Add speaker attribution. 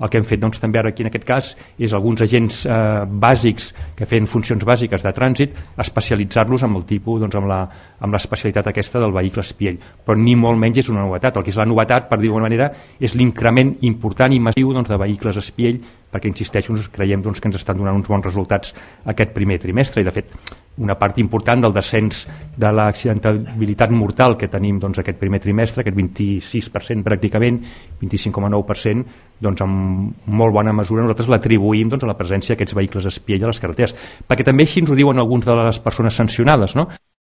Speaker 1: el que hem fet doncs, també ara aquí en aquest cas és alguns agents bàsics que feien funcions bàsiques de trànsit, especialitzar-los amb el tipus, doncs, amb l'especialitat aquesta del vehicle espiell, però ni molt menys és una novetat. El que és la novetat, per dir-ho d'alguna manera, és l'increment important i massiu doncs, de vehicles espiell, perquè insisteixo, creiem doncs, que ens estan donant uns bons resultats aquest primer trimestre, i de fet una part important del descens de l'accidentabilitat mortal que tenim doncs, aquest primer trimestre, aquest 26% pràcticament, 25,9%, doncs amb molt bona mesura nosaltres l'atribuïm doncs, a la presència d'aquests vehicles espiell a les carreteres, perquè també així ens ho diuen alguns de les persones sancionades, no?